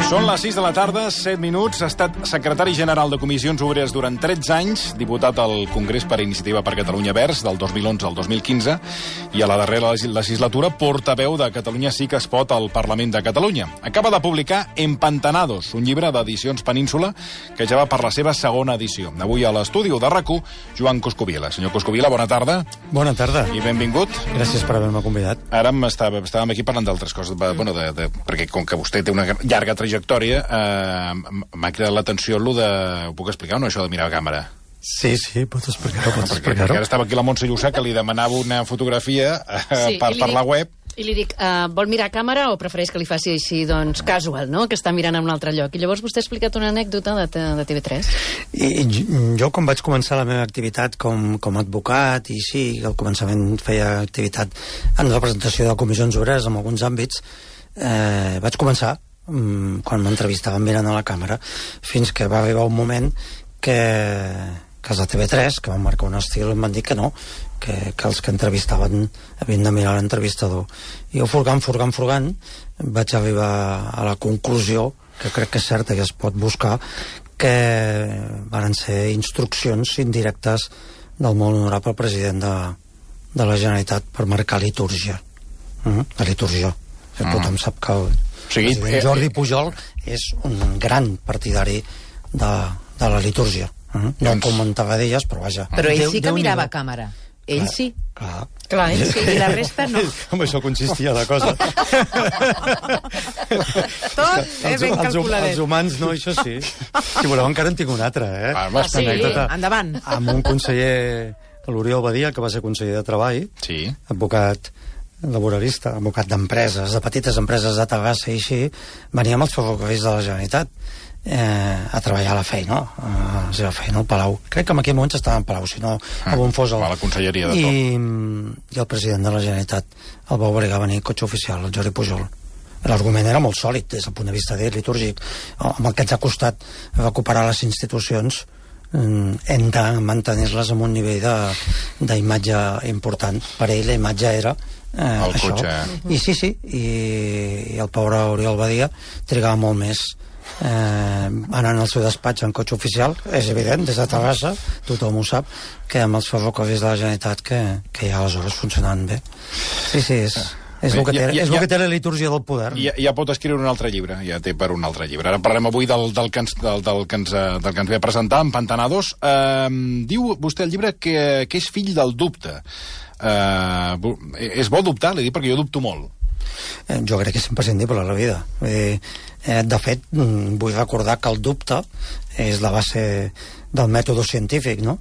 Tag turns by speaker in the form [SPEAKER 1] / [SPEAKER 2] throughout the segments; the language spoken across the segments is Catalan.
[SPEAKER 1] Són les 6 de la tarda, 7 minuts. Ha estat secretari general de Comissions Obreres durant 13 anys, diputat al Congrés per Iniciativa per Catalunya Verds del 2011 al 2015 i a la darrera legislatura portaveu de Catalunya Sí que es pot al Parlament de Catalunya. Acaba de publicar Empantanados, un llibre d'edicions Península que ja va per la seva segona edició. Avui a l'estudi de RAC1, Joan Coscubiela. Senyor Coscubiela, bona tarda.
[SPEAKER 2] Bona tarda.
[SPEAKER 1] I benvingut.
[SPEAKER 2] Gràcies per haver-me convidat.
[SPEAKER 1] Ara estàvem aquí parlant d'altres coses, perquè com que vostè té una llarga trajectòria, m'ha cridat l'atenció allò de... Ho puc explicar o no, això de mirar a càmera?
[SPEAKER 2] Sí, pot explicar-ho.
[SPEAKER 1] Perquè ara estava aquí la Montse Llussà, que li demanava una fotografia per la web.
[SPEAKER 3] I li dic, vol mirar a càmera o prefereix que li faci així, doncs, casual, no?, que està mirant en un altre lloc. I llavors vostè ha explicat una anècdota de TV3.
[SPEAKER 2] I jo, quan vaig començar la meva activitat com a advocat, i sí, al començament feia activitat en representació de comissions obreres en alguns àmbits, vaig començar quan m'entrevistaven mirant a la càmera, fins que va arribar un moment que els de TV3, que van marcar un estil, em van dir que no, que els que entrevistaven havien de mirar l'entrevistador. I jo, furgant, vaig arribar a la conclusió, que crec que és certa, que es pot buscar, que van ser instruccions indirectes del molt honorable president de la Generalitat per marcar litúrgia. La litúrgia. Tothom sap que el Jordi Pujol és un gran partidari de la litúrgia. No em comentava d'elles, però vaja.
[SPEAKER 4] Però ell sí que mirava a càmera. Ell sí. Clar, ell sí, i la resta no.
[SPEAKER 2] En això consistia la cosa.
[SPEAKER 4] Tot és ben calculadet.
[SPEAKER 2] Els humans no, això sí. Si voleu, encara en tinc una altra,
[SPEAKER 4] Sí, endavant.
[SPEAKER 2] Amb un conseller, l'Oriol Badia, que va ser conseller de Treball, advocat laboralista, advocat d'empreses, de petites empreses de Terrassa i així, venia amb els ferrocarrils de la Generalitat a treballar a la feina, a la seva feina al Palau. Crec que en aquell moment estava en Palau, si no, on fos
[SPEAKER 1] a la conselleria de tot.
[SPEAKER 2] I el president de la Generalitat el va obligar a venir cotxe oficial, el Jordi Pujol. L'argument era molt sòlid des del punt de vista litúrgic. Amb el que ens ha costat recuperar les institucions, hem de mantenir-les amb un nivell d'imatge important. Per ell la imatge era
[SPEAKER 1] el
[SPEAKER 2] això.
[SPEAKER 1] Cotxe.
[SPEAKER 2] I sí, i el pobre Oriol Badia trigava molt més anant al seu despatx en cotxe oficial, és evident, des de Terrassa, tothom ho sap, que amb els ferrocarrils de la Generalitat que ja aleshores funcionaven bé. Sí, és el que té la litúrgia del poder.
[SPEAKER 1] Ja pot escriure un altre llibre, ja té per un altre llibre. Ara parlem avui del que ens ve a presentar, Empantanados. Diu vostè al llibre que és fill del dubte. És bo dubtar? Li dic perquè jo dubto molt.
[SPEAKER 2] Jo crec que és imprescindible a la vida. De fet, vull recordar que el dubte és la base del mètode científic, no?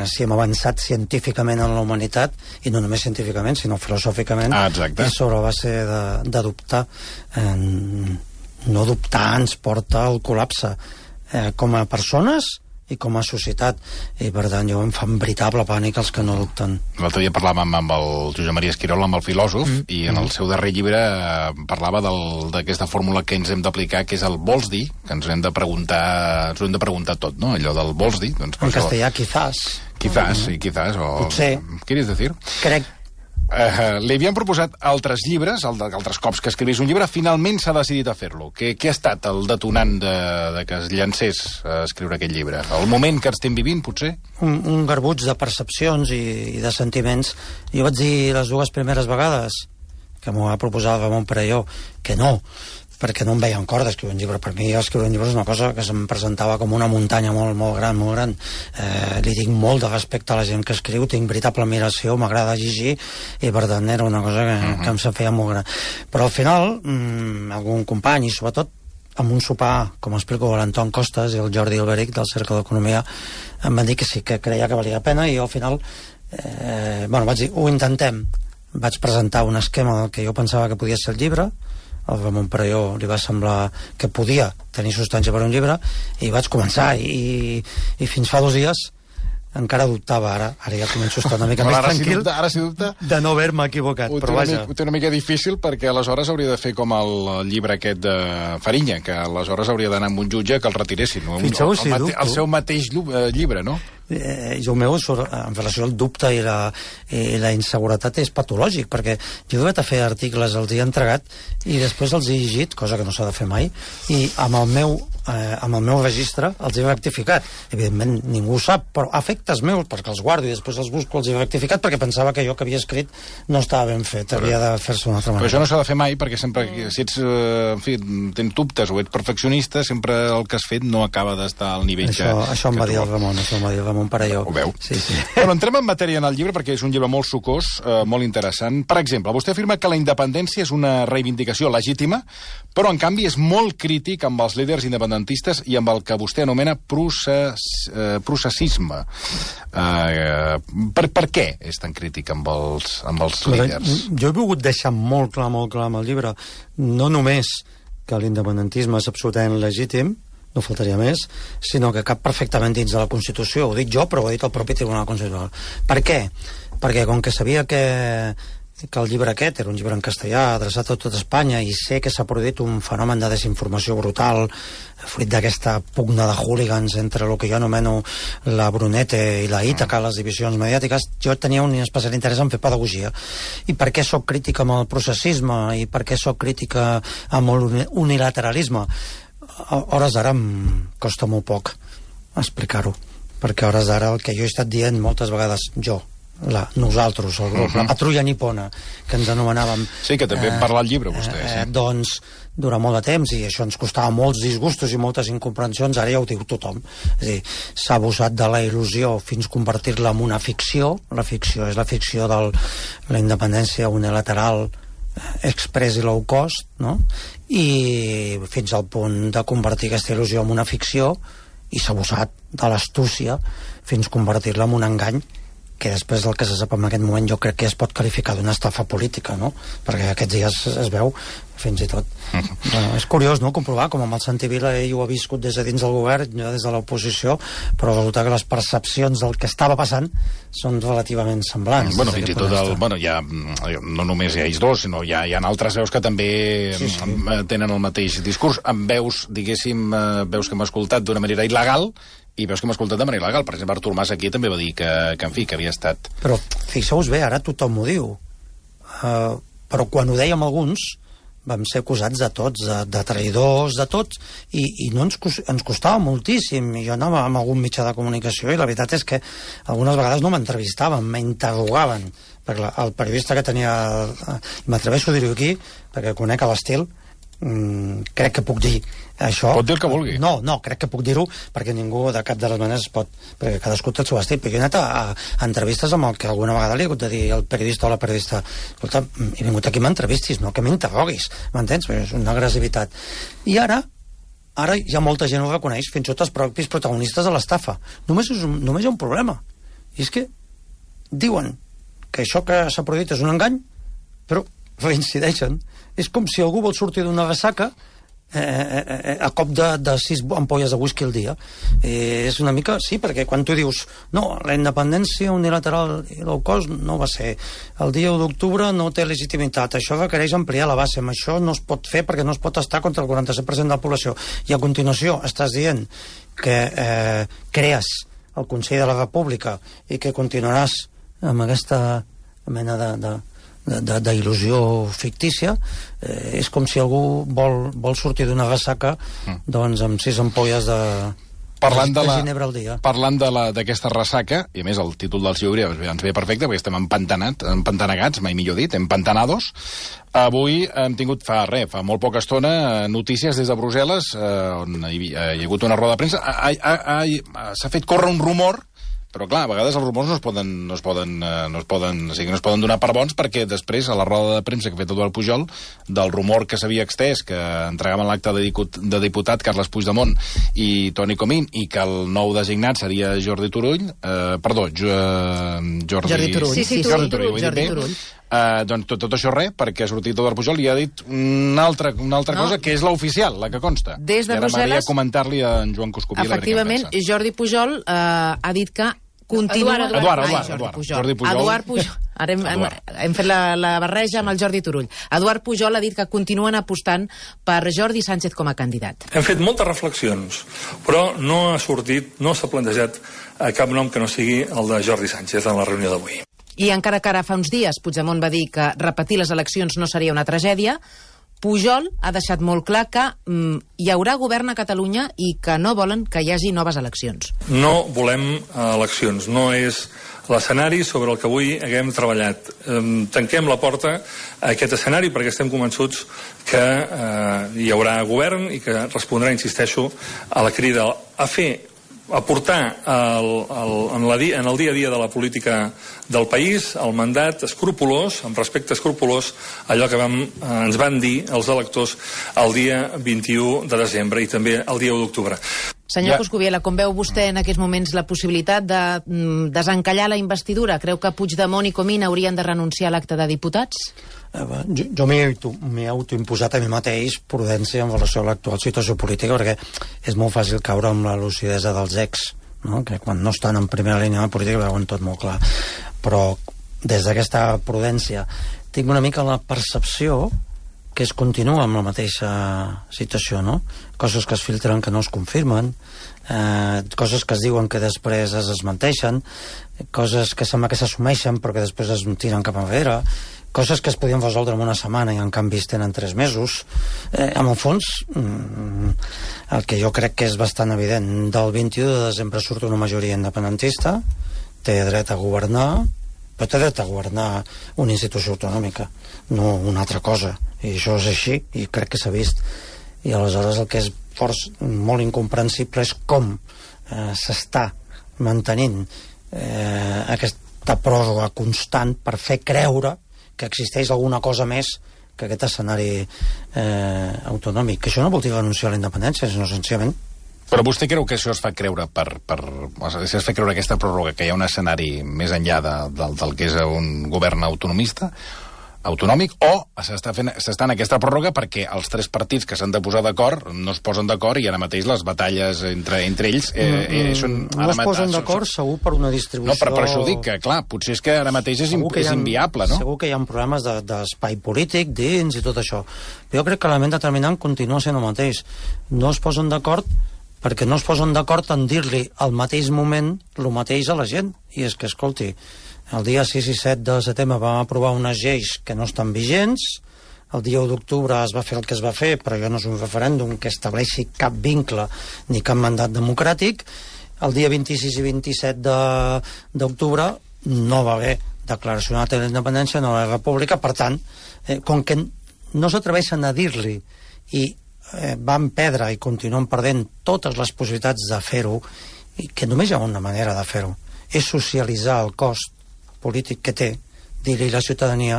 [SPEAKER 2] Si hem avançat científicament en la humanitat, i no només científicament, sinó filosòficament, és sobre la base de dubtar. No dubtar ens porta al col·lapse com a persones i com a societat, i per tant jo em fa un veritable pànic els que no dubten.
[SPEAKER 1] L'altre dia parlàvem amb el Josep Maria Esquirol, amb el filòsof, i en el seu darrer llibre parlava d'aquesta fórmula que ens hem d'aplicar, que és el vols dir, que ens hem de preguntar tot, no? Allò del vols dir. Doncs,
[SPEAKER 2] en castellà, quizás.
[SPEAKER 1] Quizás, o...
[SPEAKER 2] Potser.
[SPEAKER 1] ¿Quieres decir?
[SPEAKER 2] Crec.
[SPEAKER 1] Li havien proposat altres llibres, altres cops que escrivís un llibre, finalment s'ha decidit a fer-lo. Què ha estat el detonant de que es llancés a escriure aquest llibre? El moment que estem vivint, potser?
[SPEAKER 2] Un garbuig de percepcions i de sentiments. Jo vaig dir les dues primeres vegades que m'ho va proposar el Ramon Perelló que no, perquè no em veia en cor d'escriure un llibre. Per mi escriure un llibre és una cosa que se'm presentava com una muntanya molt gran. Li tinc molt de respecte a la gent que escriu, tinc veritable admiració, m'agrada llegir, i per tant era una cosa que em se feia molt gran. Però al final, algun company, i sobretot amb un sopar, com explico, l'Anton Costas i el Jordi Alberic del Cercle d'Economia, em van dir que sí, que creia que valia la pena, i jo al final vaig dir, ho intentem. Vaig presentar un esquema del que jo pensava que podia ser el llibre. Al Ramon Perelló li va semblar que podia tenir substància per un llibre, i vaig començar, i fins fa 2 dies encara dubtava. Ara ja començo a estar una mica més tranquil de no haver-me equivocat.
[SPEAKER 1] Ho té una mica difícil, perquè aleshores hauria de fer com el llibre aquest de Fariña, que aleshores hauria d'anar amb un jutge que el retiressin. El seu mateix llibre, no?
[SPEAKER 2] jo meu, en relació al dubte i la inseguretat és patològic, perquè jo he de fer articles, els he entregat i després els he llegit, cosa que no s'ha de fer mai, i amb el meu registre els he rectificat. Evidentment ningú ho sap, però efectes meus, perquè els guardo i després els busco, els he rectificat perquè pensava que allò que havia escrit no estava ben fet, havia de fer-se d'una altra manera.
[SPEAKER 1] Però això no s'ha de fer mai, perquè sempre, si ets, en fi, tens dubtes o ets perfeccionista, sempre el que has fet no acaba d'estar al nivell
[SPEAKER 2] això em va dir el Ramon Parelló.
[SPEAKER 1] Ho veu?
[SPEAKER 2] Sí.
[SPEAKER 1] Bueno, entrem en matèria en el llibre, perquè és un llibre molt sucós, molt interessant. Per exemple, vostè afirma que la independència és una reivindicació legítima, però en canvi és molt crític amb els líders independentistes i amb el que vostè anomena processisme. Per què és tan crític amb els líders?
[SPEAKER 2] Jo he volgut deixar molt clar amb el llibre, no només que l'independentisme és absolutament legítim, no faltaria més, sinó que cap perfectament dins de la Constitució. Ho dic jo, però ho ha dit el propi Tribunal Constitucional. Per què? Perquè com que sabia que el llibre aquest era un llibre en castellà adreçat a tot Espanya i sé que s'ha produït un fenomen de desinformació brutal fruit d'aquesta pugna de hooligans entre el que jo anomeno la Brunete i la Ítaca, les divisions mediàtiques, jo tenia un especial interès en fer pedagogia. I per què soc crític amb el processisme i per què soc crític amb l'unilateralisme? A hores d'ara em costa molt poc explicar-ho, perquè a hores d'ara el que jo he estat dient moltes vegades, nosaltres, el grup, la patrulla nipona, que ens anomenàvem...
[SPEAKER 1] Sí, que també en parla al llibre, vostè. Sí.
[SPEAKER 2] Doncs, durant molt de temps, i això ens costava molts disgustos i moltes incomprensions, ara ja ho diu tothom. És a dir, s'ha abusat de la il·lusió fins convertir-la en una ficció. La ficció és la ficció de la independència unilateral express i low cost, no? I fins al punt de convertir aquesta il·lusió en una ficció, i s'ha abusat de l'astúcia fins convertir-la en un engany, que després del que se sap en aquest moment jo crec que es pot qualificar d'una estafa política, no? Perquè aquests dies es veu fins i tot. Bueno, és curiós, no?, comprovar com amb el Santi Vila ell ho ha viscut des de dins del govern, jo des de l'oposició, però resulta que les percepcions del que estava passant són relativament semblants.
[SPEAKER 1] Bueno, fins i tot no només hi ha ells dos, sinó hi ha altres veus que també tenen el mateix discurs, amb veus, diguéssim, veus que hem escoltat d'una manera il·legal i veus que hem escoltat de manera il·legal. Per exemple, Artur Mas aquí també va dir que en fi, que havia estat...
[SPEAKER 2] Però fixeu-vos bé, ara tothom ho diu. Però quan ho dèiem alguns vam ser acusats de tots, de traïdors, de tots, i no ens costava moltíssim. Jo anava amb algun mitjà de comunicació i la veritat és que algunes vegades no m'entrevistaven, m'interrogaven. Perquè el periodista que tenia... M'atreveixo a dir-ho aquí, perquè conec l'estil, crec que puc dir això.
[SPEAKER 1] Pot dir el que vulgui.
[SPEAKER 2] No, crec que puc dir-ho perquè ningú de cap de les maneres pot, perquè cadascú té el seu estil, però jo he anat a entrevistes amb el que alguna vegada li he hagut de dir el periodista o la periodista, escolta, he vingut aquí m'entrevistis, no que m'interroguis, m'entens? Perquè és una agressivitat. I ara ja molta gent ho reconeix, fins i tot els propis protagonistes de l'estafa. Només hi ha un problema, i és que diuen que això que s'ha produït és un engany, però reincideixen. És com si algú vol sortir d'una ressaca a cop de 6 ampolles de whisky al dia. És una mica... Sí, perquè quan tu dius no, la independència unilateral i low cost no va ser. El dia 1 d'octubre no té legitimitat. Això requereix ampliar la base. Amb això no es pot fer perquè no es pot estar contra el 47% de la població. I a continuació estàs dient que crees el Consell de la República i que continuaràs amb aquesta mena d'il·lusió fictícia. És com si algú vol sortir d'una ressaca doncs amb 6 ampolles de ginebra al dia.
[SPEAKER 1] Parlant d'aquesta ressaca, i a més el títol del seu llibre ens ve perfecte perquè estem empantanegats, mai millor dit, empantanados. Avui hem tingut fa molt poca estona notícies des de Brussel·les on hi ha hagut una roda de premsa. S'ha fet córrer un rumor, però clar, a vegades els rumors no es poden donar per bons, perquè després, a la roda de premsa que ha fet Eduard Pujol, del rumor que s'havia extès, que entregaven l'acte de diputat Carles Puigdemont i Toni Comín, i que el nou designat seria Jordi Turull, Jordi Turull. Doncs tot això perquè ha sortit Eduard Pujol i ha dit una altra cosa, que és l'oficial, la que consta.
[SPEAKER 4] Des de Brussel·les...
[SPEAKER 1] I ara m'agradaria comentar-li a en Joan Coscubiela.
[SPEAKER 4] Efectivament, Jordi Pujol ha dit que continua...
[SPEAKER 1] Jordi Pujol.
[SPEAKER 4] Eduard Pujol. Ara hem fet la barreja amb el Jordi Turull. Eduard Pujol ha dit que continuen apostant per Jordi Sánchez com a candidat.
[SPEAKER 5] Hem fet moltes reflexions, però no s'ha plantejat cap nom que no sigui el de Jordi Sánchez en la reunió d'avui.
[SPEAKER 4] I encara que ara fa uns dies Puigdemont va dir que repetir les eleccions no seria una tragèdia, Pujol ha deixat molt clar que hi haurà govern a Catalunya i que no volen que hi hagi noves eleccions.
[SPEAKER 5] No volem eleccions, no és l'escenari sobre el que avui haguem treballat. Tanquem la porta a aquest escenari perquè estem convençuts que hi haurà govern i que respondrà, insisteixo, a la crida a portar en el dia a dia de la política del país el mandat escrupolós, amb respecte escrupolós, allò que ens van dir els electors el dia 21 de desembre i també el dia 1 d'octubre.
[SPEAKER 4] Senyor Coscubiela, com veu vostè en aquests moments la possibilitat de desencallar la investidura? Creu que Puigdemont i Comín haurien de renunciar a l'acte de diputats?
[SPEAKER 2] Jo m'he autoimposat a mi mateix prudència en relació a l'actual situació política, perquè és molt fàcil caure amb la lucidesa dels ex, no? Que quan no estan en primera línia de la política veuen tot molt clar. Però des d'aquesta prudència tinc una mica la percepció que es continua amb la mateixa situació, no? Coses que es filtren que no es confirmen, coses que es diuen que després es desmenteixen, coses que sembla que s'assumeixen però que després es tiren cap enrere, coses que es podien resoldre en una setmana i en canvi es tenen 3 mesos. En el fons, el que jo crec que és bastant evident, del 21 de desembre surt una majoria independentista, té dret a governar, però té dret a governar una institució autonòmica, no una altra cosa. I això és així, i crec que s'ha vist. I aleshores el que és molt incomprensible és com s'està mantenint aquesta pròrroga constant per fer creure que existeix alguna cosa més que aquest escenari autonòmic. Que això no vol dir renunciar a la independència, sinó senzillament.
[SPEAKER 1] Però vostè creu que això es fa creure si es fa creure aquesta pròrroga, que hi ha un escenari més enllà del que és un govern autonòmic, o s'està en aquesta pròrroga perquè els 3 partits que s'han de posar d'acord no es posen d'acord i ara mateix les batalles entre ells són...
[SPEAKER 2] No es posen d'acord segur per una distribució...
[SPEAKER 1] No, per això dic que, clar, potser és que ara mateix és inviable, no?
[SPEAKER 2] Segur que hi ha problemes d'espai polític dins i tot això. Però jo crec que l'element determinant continua sent el mateix. No es posen d'acord perquè no es posen d'acord en dir-li al mateix moment el mateix a la gent. I és que, escolti, el dia 6 i 7 de setembre vam aprovar unes lleis que no estan vigents, el dia 1 d'octubre es va fer el que es va fer, però ja no és un referèndum que estableixi cap vincle ni cap mandat democràtic. El dia 26 i 27 d'octubre no va haver declaració de la independència, no va haver república, per tant, com que no s'atreveixen a dir-li i van perdre i continuen perdent totes les possibilitats de fer-ho, i que només hi ha una manera de fer-ho, és socialitzar el cost polític que té, dir-li a la ciutadania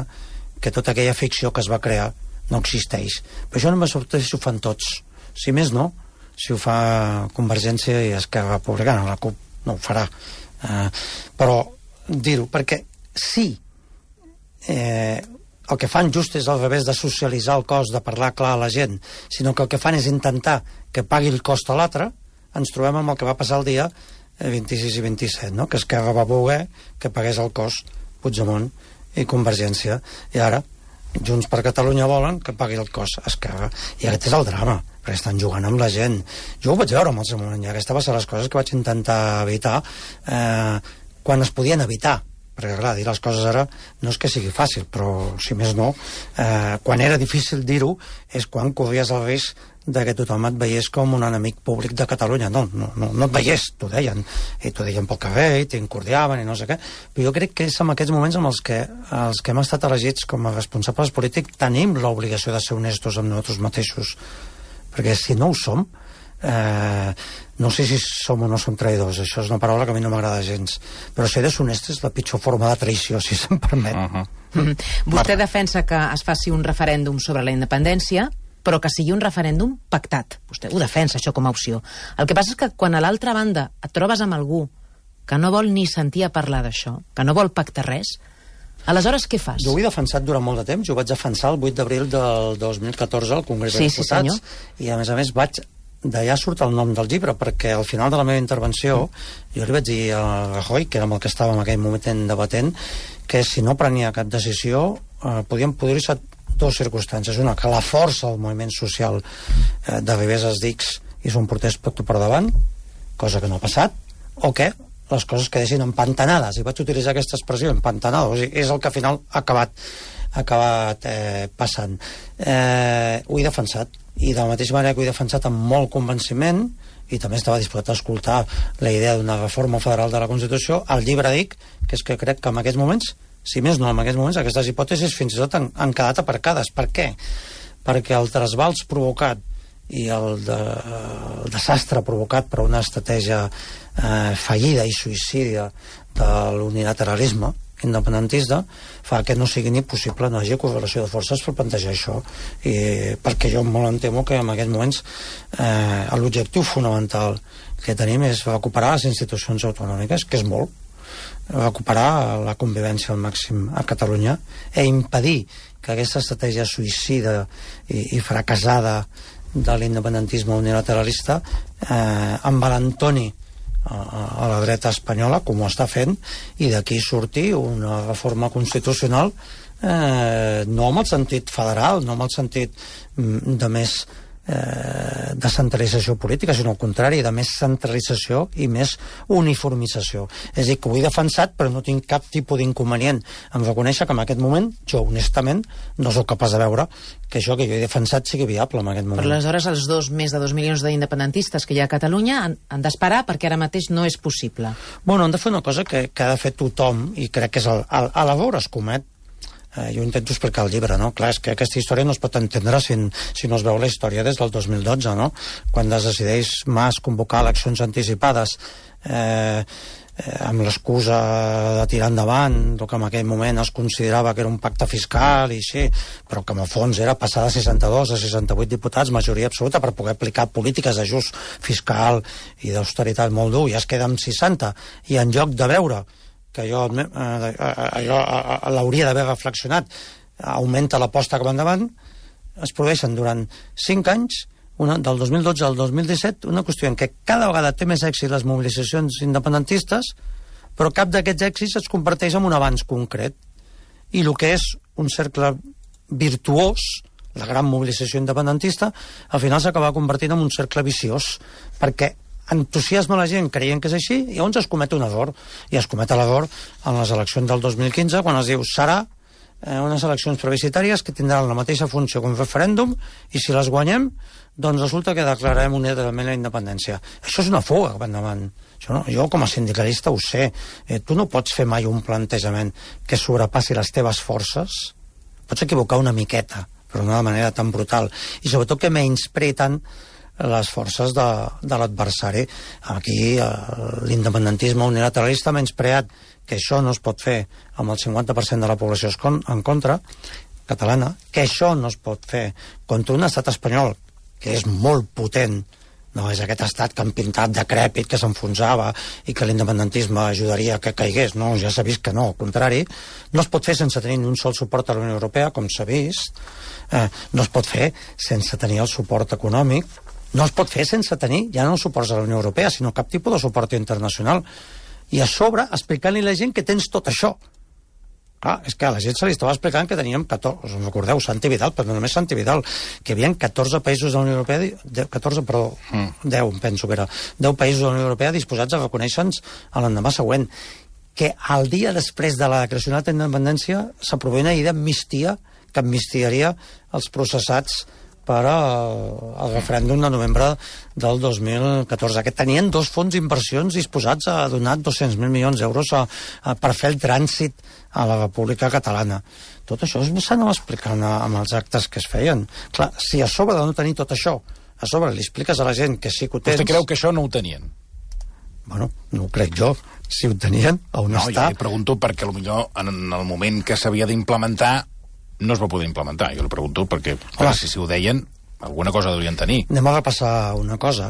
[SPEAKER 2] que tota aquella ficció que es va crear no existeix. Però això no me sorprèn si ho fan tots. Si més no, si ho fa Convergència i Esquerra Republicana, la CUP no ho farà. Però dir-ho, perquè sí, el que fan just és al revés de socialitzar el cost, de parlar clar a la gent, sinó que el que fan és intentar que pagui el cost a l'altre. Ens trobem amb el que va passar el dia 26 i 27, no? Que Esquerra va voler que pagués el cost Puigdemont i Convergència, i ara Junts per Catalunya volen que pagui el cost Esquerra, i aquest és el drama, perquè estan jugant amb la gent. Jo ho vaig veure en el seu moment, i aquesta va ser les coses que vaig intentar evitar quan es podien evitar, perquè clar, dir les coses ara no és que sigui fàcil, però si més no, quan era difícil dir-ho és quan corries el risc de que tothom et veiés com un enemic públic de Catalunya. No et veiés, t'ho deien, i t'ho deien pel carrer, i t'incordiaven i no sé què, però jo crec que és en aquests moments en els que hem estat elegits com a responsables polítics tenim l'obligació de ser honestos amb nosaltres mateixos, perquè si no ho som, no sé si som o no som traïdors, això és una paraula que a mi no m'agrada gens, però ser deshonest és la pitjor forma de traïció, si se'm permet.
[SPEAKER 4] Vostè defensa que es faci un referèndum sobre la independència, però que sigui un referèndum pactat. Vostè ho defensa, això, com a opció. El que passa és que quan a l'altra banda et trobes amb algú que no vol ni sentir a parlar d'això, que no vol pactar res, aleshores què fas?
[SPEAKER 2] Jo ho he defensat durant molt de temps, jo vaig defensar el 8 d'abril del 2014 al Congrés dels Diputats, i a més vaig d'allà surt el nom del llibre, perquè al final de la meva intervenció jo li vaig dir a Rajoy, que era amb el que estava en aquell moment debatent, que si no prenia cap decisió podien produir-se dues circumstàncies. Una, que la força del moviment social d'arribés als dics i s'ho emportés tot per davant, cosa que no ha passat, o que les coses quedessin empantanades, i vaig utilitzar aquesta expressió, empantanada, o sigui, és el que al final ha acabat passant. Ho he defensat, i de la mateixa manera que ho he defensat amb molt convenciment, i també estava disposat a escoltar la idea d'una reforma federal de la Constitució, al llibre dic que és que crec que en aquests moments, si més no en aquests moments, aquestes hipòtesis fins i tot han quedat aparcades. Per què? Perquè el trasbals provocat i el desastre provocat per una estratègia fallida i suïcida de l'unilateralisme independentista fa que no sigui ni possible, no hi hagi correlació de forces per plantejar això, perquè jo molt em temo que en aquests moments l'objectiu fonamental que tenim és recuperar les institucions autonòmiques, que és molt, recuperar la convivència al màxim a Catalunya i impedir que aquesta estratègia suïcida i fracassada de l'independentisme unilateralista envalentoni a la dreta espanyola, com ho està fent, i d'aquí sortir una reforma constitucional no en el sentit federal, no en el sentit de més descentralització política, sinó al contrari, de més centralització i més uniformització. És a dir, que ho he defensat, però no tinc cap tipus d'inconvenient en reconèixer que en aquest moment, jo honestament, no sóc capaç de veure que això que jo he defensat sigui viable en aquest moment.
[SPEAKER 4] Però aleshores els més de 2 milions d'independentistes que hi ha a Catalunya han d'esperar perquè ara mateix no és possible.
[SPEAKER 2] Bueno, han de fer una cosa que ha de fer tothom, i crec que és l'error es comet. Jo intento explicar el llibre, no? Clar, és que aquesta història no es pot entendre si no es veu la història des del 2012, no? Quan es decideix Mas convocar eleccions anticipades amb l'excusa de tirar endavant el que en aquell moment es considerava que era un pacte fiscal i així, però que en el fons era passar de 62 a 68 diputats, majoria absoluta, per poder aplicar polítiques d'ajust fiscal i d'austeritat molt dur, i es queda amb 60, i en lloc de veure que allò l'hauria d'haver reflexionat, augmenta l'aposta cap endavant, es produeixen durant 5 anys, del 2012 al 2017, una qüestió en què cada vegada té més èxit les mobilitzacions independentistes, però cap d'aquests èxits es converteix en un avanç concret. I el que és un cercle virtuós, la gran mobilització independentista, al final s'acaba convertint en un cercle viciós, perquè entusiasma la gent creient que és així, i llavors es comet un error, i es comet l'error en les eleccions del 2015, quan es diu serà unes eleccions plebiscitàries que tindran la mateixa funció que un referèndum, i si les guanyem, doncs resulta que declararem unilateralment la independència. Això és una fuga cap endavant. Jo com a sindicalista ho sé. Tu no pots fer mai un plantejament que sobrepassi les teves forces. Pots equivocar una miqueta, però no de manera tan brutal, i sobretot que menysprea tant les forces de l'adversari. Aquí l'independentisme unilateralista ha menyspreat que això no es pot fer amb el 50% de la població en contra, catalana, que això no es pot fer contra un estat espanyol que és molt potent, no és aquest estat que han pintat decrèpit, que s'enfonsava i que l'independentisme ajudaria que caigués. No, ja s'ha vist que no, al contrari. No es pot fer sense tenir ni un sol suport a la Unió Europea, com s'ha vist. No es pot fer sense tenir el suport econòmic. No es pot fer sense tenir ja no suports a la Unió Europea, sinó cap tipus de suport internacional. I a sobre, explicant-li a la gent que tens tot això. Clar, és que a la gent se li estava explicant que teníem 14, us en recordeu, Santi Vidal, però no només Santi Vidal, que hi havia 14 països de la Unió Europea, 10, penso que era, 10 països de la Unió Europea disposats a reconèixer-nos a l'endemà següent. Que el dia després de la declaració de la independència s'aprovava una llei d'amnistia que amnistiaria els processats per al referèndum de novembre del 2014, que tenien 2 fons d'inversions disposats a donar 200.000 milions d'euros per fer el trànsit a la República Catalana. Tot això s'anava explicant amb els actes que es feien. Clar, si a sobre de no tenir tot això, a sobre li expliques a la gent que sí que ho tens...
[SPEAKER 1] Vostè creu que això no ho tenien?
[SPEAKER 2] Bueno, no ho crec jo. Si ho tenien, on està?
[SPEAKER 1] No, jo li pregunto perquè potser en el moment que s'havia d'implementar no es va poder implementar. Jo li pregunto perquè, clar, si ho deien, alguna cosa deurien tenir.
[SPEAKER 2] Anem a repassar una cosa.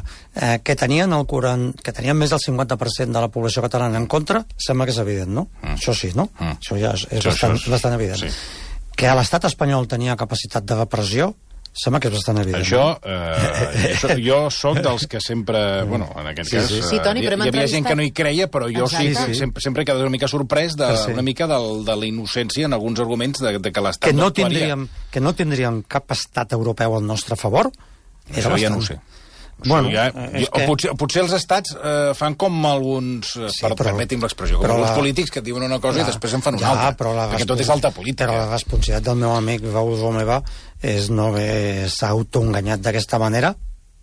[SPEAKER 2] Que tenien més del 50% de la població catalana en contra, sembla que és evident, no? Això sí, no? Això ja és bastant evident. Sí. Que a l'estat espanyol tenia capacitat de repressió, Sembla que és bastant evident.
[SPEAKER 1] Això jo sóc dels que sempre... Bueno, en aquest cas...
[SPEAKER 4] Sí, Toni, però
[SPEAKER 1] hi havia gent que no hi creia, però jo sí. Sempre he quedat una mica sorprès una mica de la innocència en alguns arguments de que l'Estat
[SPEAKER 2] no actuaria. Que no tindríem cap estat europeu al nostre favor?
[SPEAKER 1] Això ja no ho sé. Bueno, potser els estats fan com alguns, permeti'm l'expressió, com alguns polítics que diuen una cosa i després en fan una altra, perquè tot és alta política.
[SPEAKER 2] Però la responsabilitat del meu amic Raúl Romeva és no haver-se autoenganyat d'aquesta manera,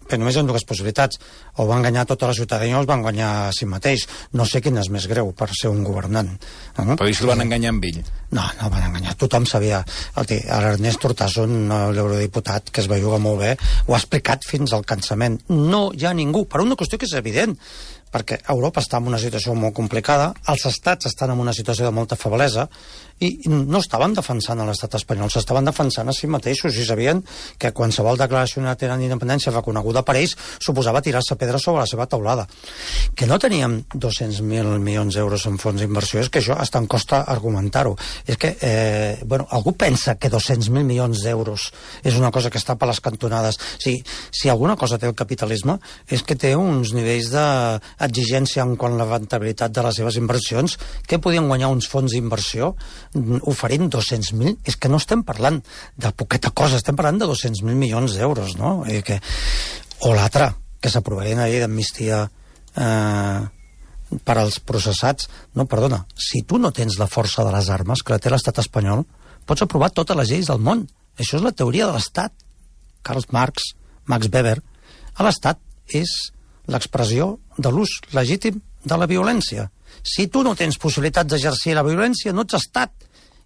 [SPEAKER 2] però només hi ha dues possibilitats: o va enganyar tota la ciutadania o els van guanyar a si mateix. No sé quin és més greu per ser un governant.
[SPEAKER 1] Però i si el van enganyar amb ell?
[SPEAKER 2] No el van enganyar, tothom sabia. L'Ernest Urtasun, l'eurodiputat, que es va jugar molt bé, ho ha explicat fins al cansament. No hi ha ningú, per una qüestió que és evident, perquè Europa està en una situació molt complicada, els estats estan en una situació de molta feblesa, i no estaven defensant a l'estat espanyol, s'estaven defensant a si mateixos, i sabien que qualsevol declaració d'independència reconeguda per ells suposava tirar-se pedres sobre la seva taulada. Que no teníem 200.000 milions d'euros en fons d'inversió, és que això hasta em costa argumentar-ho. És que, algú pensa que 200.000 milions d'euros és una cosa que està per les cantonades. Si alguna cosa té el capitalisme és que té uns nivells d'exigència en quant a la rendibilitat de les seves inversions, que podien guanyar uns fons d'inversió oferint 200.000, és que no estem parlant de poqueta cosa, estem parlant de 200.000 milions d'euros, no? O l'altre, que s'aprovaria una llei d'amnistia per als processats. No, perdona, si tu no tens la força de les armes que la té l'estat espanyol, pots aprovar totes les lleis del món. Això és la teoria de l'estat. Karl Marx, Max Weber. L'estat és l'expressió de l'ús legítim de la violència. Si tu no tens possibilitats d'exercir la violència, no ets estat.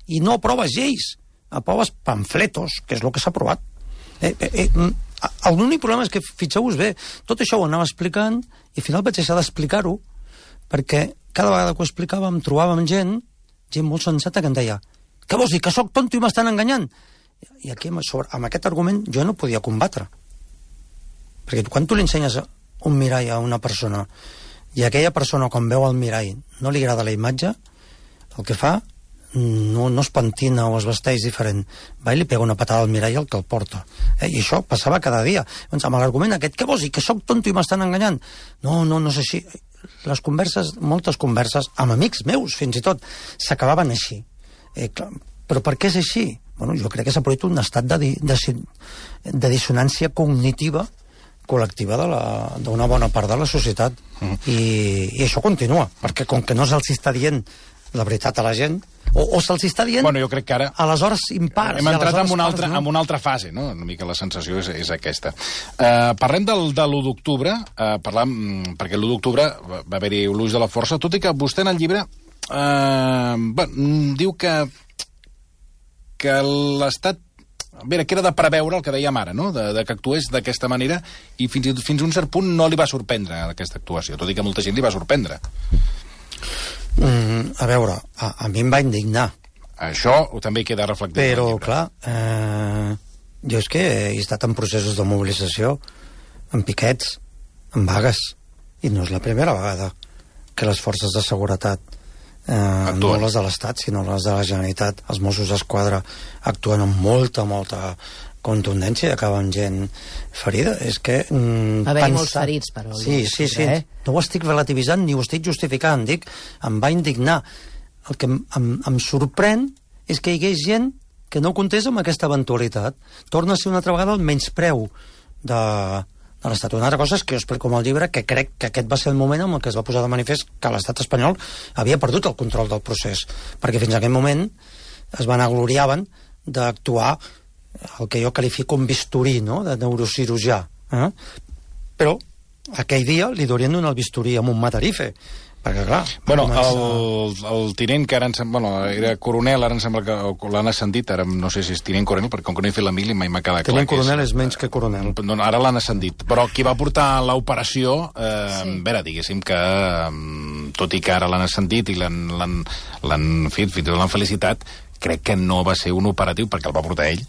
[SPEAKER 2] I no aproves lleis, aproves pamfletos, que és el que s'ha aprovat. L'únic problema és que, fixeu-vos bé, tot això ho anava explicant i al final vaig deixar d'explicar-ho perquè cada vegada que ho explicàvem trobàvem gent molt sensata que em deia: què vols dir, que sóc tonto i m'estan enganyant? I aquí, amb aquest argument, jo no podia combatre. Perquè quan tu li ensenyes un mirall a una persona i aquella persona, quan veu el mirall, no li agrada la imatge, el que fa no es pentina o es vesteix diferent, va i li pega una patada al mirall al que el porta. I això passava cada dia. Doncs amb l'argument aquest: què vols dir, que sóc tonto i m'estan enganyant? No és així. Les converses, moltes converses, amb amics meus fins i tot, s'acabaven així. Però per què és així? Jo crec que s'ha produït un estat de dissonància cognitiva col·lectiva d'una bona part de la societat. I això continua, perquè com que no se'ls està dient la veritat a la gent, o se'ls està dient
[SPEAKER 1] jo crec que ara
[SPEAKER 2] a les hores impars.
[SPEAKER 1] Hem entrat en una altra fase, no? Una mica la sensació és aquesta. Parlem de l'1 d'octubre, perquè l'1 d'octubre va haver-hi l'ús de la força, tot i que vostè en el llibre diu que l'Estat, que era de preveure el que dèiem ara, no? De que actués d'aquesta manera, i fins a un cert punt no li va sorprendre aquesta actuació, tot i que a molta gent li va sorprendre.
[SPEAKER 2] A veure, a mi em va indignar.
[SPEAKER 1] Això també queda reflectit.
[SPEAKER 2] Però, clar, jo és que he estat en processos de mobilització, en piquets, en vagues, i no és la primera vegada que les forces de seguretat, no les de l'Estat, sinó les de la Generalitat, els Mossos d'Esquadra, actuen amb molta contundència i acaben gent ferida. És que...
[SPEAKER 4] Va haver-hi molts ferits, però...
[SPEAKER 2] Sí. No ho estic relativitzant ni ho estic justificant, em va indignar. El que em sorprèn és que hi hagués gent que no comptés amb aquesta eventualitat. Torna a ser una altra vegada el menyspreu de l'Estat. Una altra cosa és que jo explico en el llibre que crec que aquest va ser el moment en què es va posar de manifest que l'Estat espanyol havia perdut el control del procés, perquè fins a aquell moment es vanagloriaven d'actuar el que jo qualifico un bisturí, no?, de neurocirurgià. Però aquell dia li haurien donat el bisturí amb un matarife, perquè clar...
[SPEAKER 1] el tinent, que ara era coronel, ara em sembla que l'han ascendit, ara no sé si és tinent coronel, perquè com que no he fet la mili mai m'ha quedat clar.
[SPEAKER 2] Tinent coronel és menys que coronel.
[SPEAKER 1] Ara l'han ascendit, però qui va portar l'operació, diguéssim que, tot i que ara l'han ascendit i l'han felicitat, crec que no va ser un operatiu, perquè el va portar ell,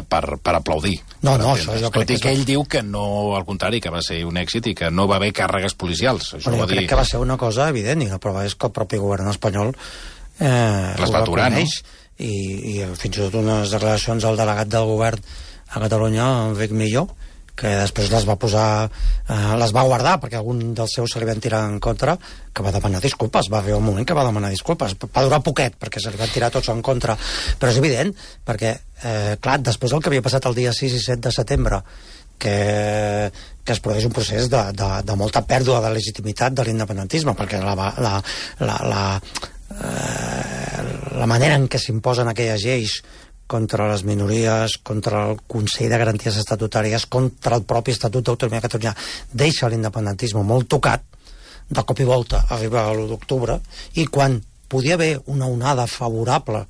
[SPEAKER 1] per aplaudir.
[SPEAKER 2] Això
[SPEAKER 1] tot i que ell diu que no, al contrari, que va ser un èxit i que no va haver càrregues policials.
[SPEAKER 2] Jo crec que va ser una cosa evident, i la prova és que el propi govern espanyol
[SPEAKER 1] les va aturar, no?
[SPEAKER 2] I fins i tot unes declaracions al delegat del govern a Catalunya Enric Millo, que després les va guardar perquè algun dels seus se li van tirar en contra, que va demanar disculpes, va arribar un moment que va demanar disculpes, va durar poquet perquè se li van tirar tots en contra, però és evident perquè, clar, després del que havia passat el dia 6 i 7 de setembre, que es produeix un procés de molta pèrdua de legitimitat de l'independentisme, perquè la manera en què s'imposen aquelles lleis contra les minories, contra el Consell de Garanties Estatutàries, contra el propi Estatut d'Autonomia de Catalunya, deixa l'independentisme molt tocat. De cop i volta arriba l'1 d'octubre, i quan podia haver una onada favorable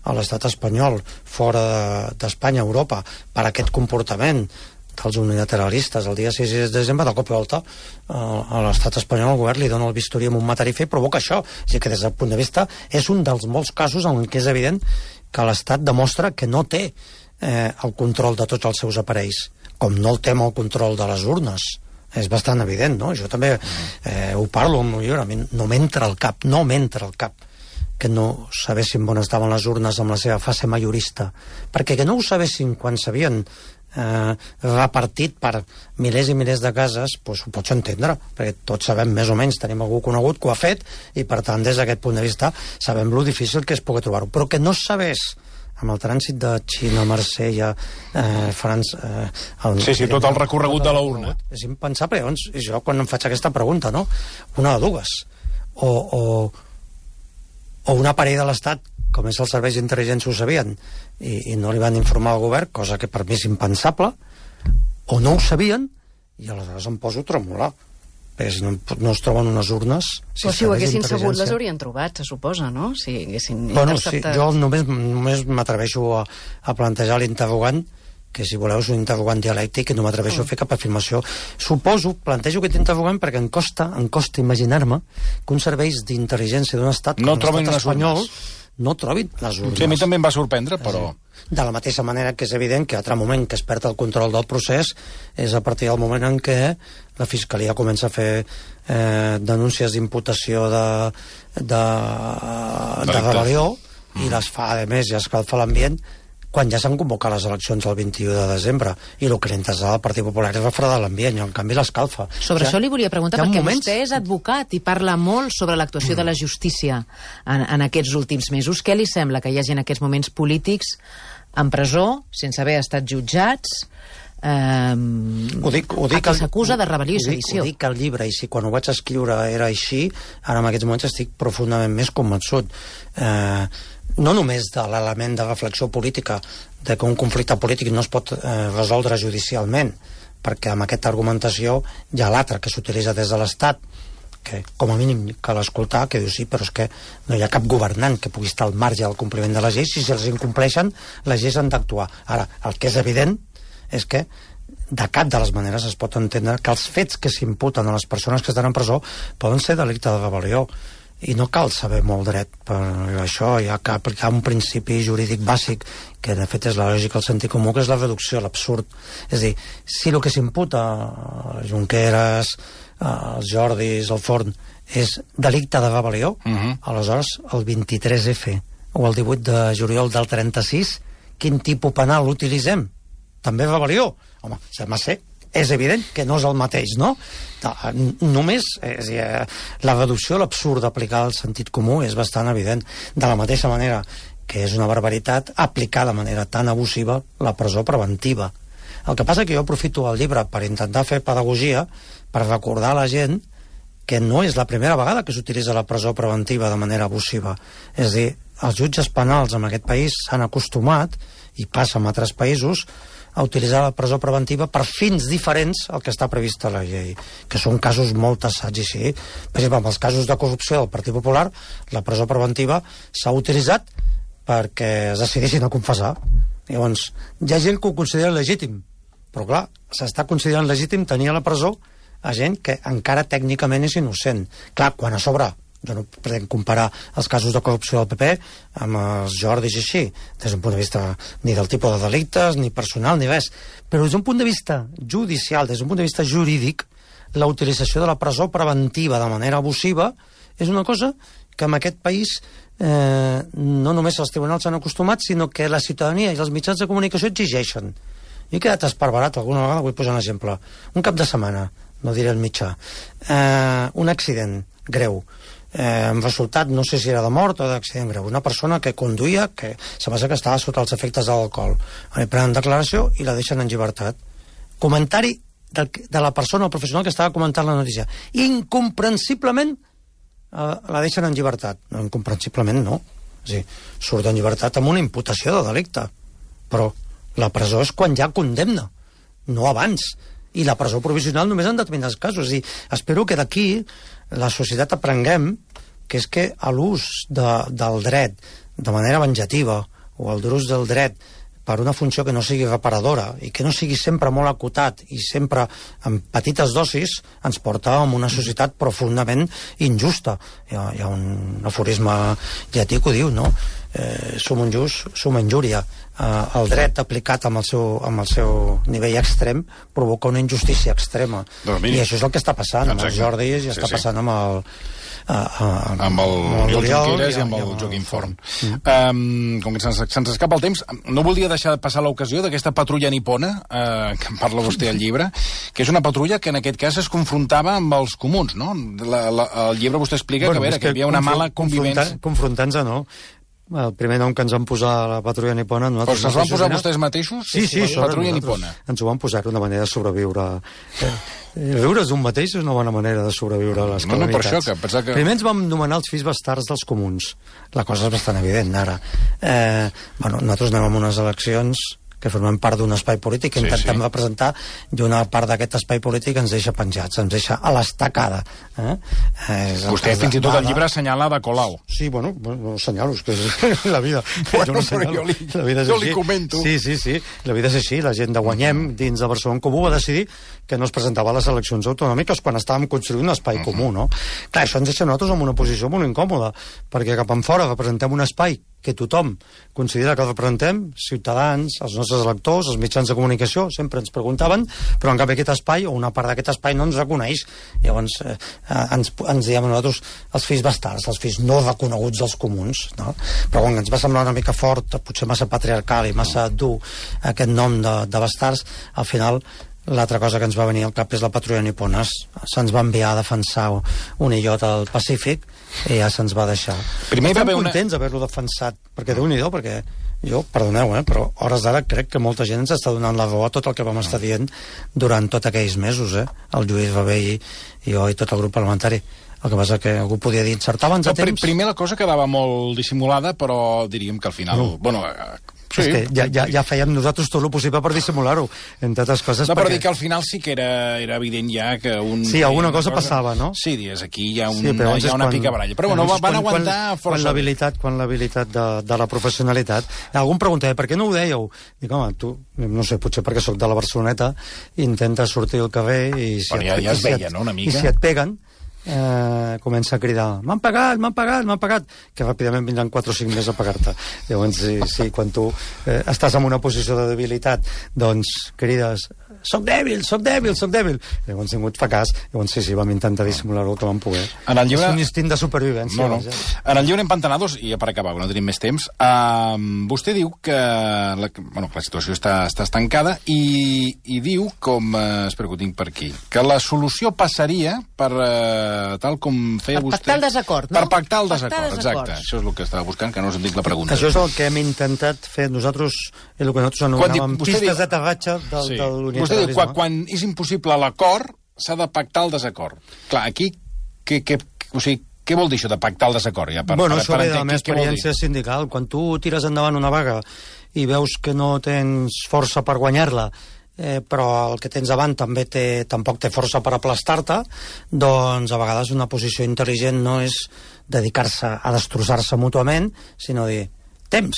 [SPEAKER 2] a l'estat espanyol fora d'Espanya, Europa, per aquest comportament dels unilateralistes el dia 6 de desembre, de cop i volta a l'estat espanyol, el govern li dona el bisturí amb un matarife i provoca això. És a dir, que des del punt de vista és un dels molts casos en què és evident que l'Estat demostra que no té el control de tots els seus aparells, com no el té amb el control de les urnes. És bastant evident, no? Jo també ho parlo amb el llibre, a mi no m'entra al cap que no sabessin on estaven les urnes amb la seva fase majorista, perquè que no ho sabessin quan s'havien repartit per milers i milers de cases, doncs ho pots entendre, perquè tots sabem més o menys, tenim algú conegut que ho ha fet, i per tant des d'aquest punt de vista sabem lo difícil que és poder trobar-ho, però que no sabés amb el trànsit de Xina, Marsella, França...
[SPEAKER 1] Sí, tot el recorregut de la urna.
[SPEAKER 2] És impensable. Llavors, jo quan em faig aquesta pregunta, no? Una de dues. O un aparell de l'Estat, com és els serveis d'intel·ligència, ho sabien i no li van informar al govern, cosa que per mi és impensable, o no ho sabien, i aleshores em poso a tremolar. Perquè si no es troben unes urnes...
[SPEAKER 3] Però si ho haguessin sabut, les haurien trobat, se suposa, no? Si haguessin
[SPEAKER 2] interceptat... Sí, jo només m'atreveixo a plantejar l'interrogant, que si voleu és un interrogant dialèctic, i no m'atreveixo a fer cap afirmació. Plantejo aquest interrogant perquè em costa imaginar-me que uns serveis d'intel·ligència d'un estat com l'estat espanyol no trobin les urnes.
[SPEAKER 1] Sí, a mi també em va sorprendre, però...
[SPEAKER 2] De la mateixa manera que és evident que l'altre moment que es perd el control del procés és a partir del moment en què la Fiscalia comença a fer denúncies d'imputació de rebel·lió i les fa, a més, ja escalfa l'ambient quan ja s'han convocat les eleccions el 21 de desembre i el que l'interessa al Partit Popular és refredar l'ambient i en canvi l'escalfa.
[SPEAKER 4] Sobre això li volia preguntar, perquè vostè és advocat i parla molt sobre l'actuació de la justícia en aquests últims mesos. Què li sembla que hi hagi en aquests moments polítics en presó, sense haver estat jutjats, a qui s'acusa de rebel·lió i sedició?
[SPEAKER 2] Ho dic al llibre, i si quan ho vaig escriure era així, ara en aquests moments estic profundament més convençut. No només de l'element de reflexió política, de que un conflicte polític no es pot resoldre judicialment, perquè amb aquesta argumentació hi ha l'altra que s'utilitza des de l'Estat, que com a mínim cal escoltar, que diu sí, però és que no hi ha cap governant que pugui estar al marge del compliment de les lleis, i si els incompleixen, les lleis han d'actuar. Ara, el que és evident és que de cap de les maneres es pot entendre que els fets que s'imputen a les persones que estan en presó poden ser delicte de rebel·lió, i no cal saber molt dret per això. Hi ha que aplicar un principi jurídic bàsic que de fet és la lògica, el sentit comú, que és la reducció a l'absurd. És a dir, si el que s'imputa a Junqueras, als Jordis, al Forn, és delicte de rebel·lió, aleshores el 23F o el 18 de juliol del 36, quin tipus penal utilitzem? També rebel·lió? Home, sembla ser, és evident que no és el mateix, no? Només la reducció a l'absurd d'aplicar el sentit comú és bastant evident. De la mateixa manera que és una barbaritat aplicar de manera tan abusiva la presó preventiva. El que passa que jo aprofito el llibre per intentar fer pedagogia, per recordar a la gent que no és la primera vegada que s'utilitza la presó preventiva de manera abusiva. És a dir, els jutges penals en aquest país s'han acostumat, i passa en altres països, a utilitzar la presó preventiva per fins diferents al que està previst a la llei, que són casos molt tassats, i sí. Per exemple, en els casos de corrupció del Partit Popular, la presó preventiva s'ha utilitzat perquè es decidissin a confessar. Llavors, hi ha gent que ho considera legítim, però clar, s'està considerant legítim tenir a la presó a gent que encara tècnicament és innocent. Clar, quan a sobre, jo no pretenc comparar els casos de corrupció del PP amb els Jordis i així, des d'un punt de vista ni del tipus de delictes, ni personal, ni res, però des d'un punt de vista judicial, des d'un punt de vista jurídic, la utilització de la presó preventiva de manera abusiva és una cosa que en aquest país no només els tribunals s'han acostumat, sinó que la ciutadania i els mitjans de comunicació exigeixen. he quedat esparverat alguna vegada, vull posar un exemple. Un cap de setmana, no diré el mitjà, un accident greu, amb resultat, no sé si era de mort o d'accident greu, una persona que conduïa, que sembla que estava sota els efectes de l'alcohol, prenen declaració i la deixen en llibertat. Comentari de la persona o professional que estava comentant la notícia: incomprensiblement la deixen en llibertat. No, incomprensiblement no, o sigui, surt en llibertat amb una imputació de delicte, però la presó és quan ja condemna, no abans, i la presó provisional només en determinats casos. És a dir, espero que d'aquí la societat aprenguem que és que l'ús del dret de manera venjativa o el d'ús del dret per una funció que no sigui reparadora i que no sigui sempre molt acotat i sempre amb petites dosis ens porta a una societat profundament injusta. Hi ha un aforisme llatí que ho diu, no? Sum injust, sum injúria. El dret aplicat amb el seu nivell extrem provoca una injustícia extrema. I això és el que està passant amb el Jordi i està passant amb el
[SPEAKER 1] Junqueras i amb el Joaquim Forn. Com que se'ns escapa el temps, no voldria deixar de passar l'ocasió d'aquesta patrulla nipona, que en parla vostè al llibre, que és una patrulla que en aquest cas es confrontava amb els comuns, no? El llibre vostè explica que hi havia una mala convivència.
[SPEAKER 2] Confrontant-se, no? El primer nom que ens van posar a la patrulla nipona...
[SPEAKER 1] Però se'ls van posar vostès mateixos?
[SPEAKER 2] Sí,
[SPEAKER 1] patrulla nipona.
[SPEAKER 2] Ens ho van posar, una manera de sobreviure. Viure d'un mateix és una bona manera de sobreviure a les calamitats.
[SPEAKER 1] No, per això, que pensava que...
[SPEAKER 2] Primer ens vam nomenar els fills bastards dels comuns. La cosa és bastant evident, ara. Nosaltres anem a unes eleccions que formem part d'un espai polític que intentem representar, i una part d'aquest espai polític ens deixa penjats, ens deixa a l'estacada.
[SPEAKER 1] Vostè fins i tot el llibre assenyala de Colau.
[SPEAKER 2] Sí, bueno, assenyalo, és que és la vida.
[SPEAKER 1] Jo li comento.
[SPEAKER 2] Sí, la vida és així, la gent de Guanyem dins de Barcelona Comú va decidir que no es presentava a les eleccions autonòmiques quan estàvem construint un espai comú, no? Clar, això ens deixa nosaltres en una posició molt incòmoda, perquè cap enfora representem un espai que tothom considera que representem, ciutadans, els nostres electors, els mitjans de comunicació, sempre ens preguntaven, però en canvi aquest espai, o una part d'aquest espai, no ens reconeix. Llavors ens diem nosaltres els fills bastards, els fills no reconeguts dels comuns, no? Però quan ens va semblar una mica fort, potser massa patriarcal i massa dur aquest nom de bastards, al final l'altra cosa que ens va venir al cap és la patrulla nipona. Se'ns va enviar a defensar un illot al Pacífic i ja se'ns va deixar. Estem contents d'haver-lo defensat, perquè Déu-n'hi-do, perquè jo, perdoneu, però a hores d'ara crec que molta gent ens està donant la raó a tot el que vam estar dient durant tots aquells mesos, el Lluís Rabell i jo i tot el grup parlamentari. El que passa que algú podia dir, encertaven a temps...
[SPEAKER 1] Primer la cosa quedava molt dissimulada, però diríem que al final...
[SPEAKER 2] Sí. És que ja fèiem nosaltres tot el possible per dissimular-ho, entre altres coses.
[SPEAKER 1] No, però dir que al final sí que era evident ja que
[SPEAKER 2] Sí, alguna cosa passava, no?
[SPEAKER 1] Sí, dius, aquí hi ha una picabaralla. Però bueno, van aguantar força.
[SPEAKER 2] Quan l'habilitat de la professionalitat... Algú em preguntava, per què no ho dèieu? Dic, home, tu, no sé, potser perquè sóc de la Barceloneta, intenta sortir al carrer i...
[SPEAKER 1] Però ja es veia, no?, una mica.
[SPEAKER 2] I si et peguen, comença a cridar, m'han pagat, que ràpidament vindran 4 o 5 més a pagar-te. Llavors, sí, quan tu estàs en una posició de debilitat, doncs crides, soc dèbil. Llavors ningú et fa cas. Llavors sí, vam intentar dissimular-ho que vam poder. És un instint de supervivència.
[SPEAKER 1] En el llibre Empantanados, i ja per acabar, no tenim més temps, vostè diu que la situació està estancada i diu, espero que ho tinc per aquí, que la solució passaria per tal com feia vostè...
[SPEAKER 4] Per pactar el desacord, no?
[SPEAKER 1] Per pactar el desacord, exacte. Això és el que estava buscant, que no us entenc la pregunta.
[SPEAKER 2] Això és el que hem intentat fer nosaltres, el que nosaltres anomenàvem pistes d'aterratge de l'unilateralisme.
[SPEAKER 1] Vostè diu, quan és impossible l'acord, s'ha de pactar el desacord. Clar, aquí, què vol dir això de pactar el desacord?
[SPEAKER 2] Això ve de la meva experiència sindical. Quan tu tires endavant una vaga i veus que no tens força per guanyar-la, però el que tens davant tampoc té força per aplastar-te, doncs a vegades una posició intel·ligent no és dedicar-se a destrossar-se mútuament, sinó dir, temps,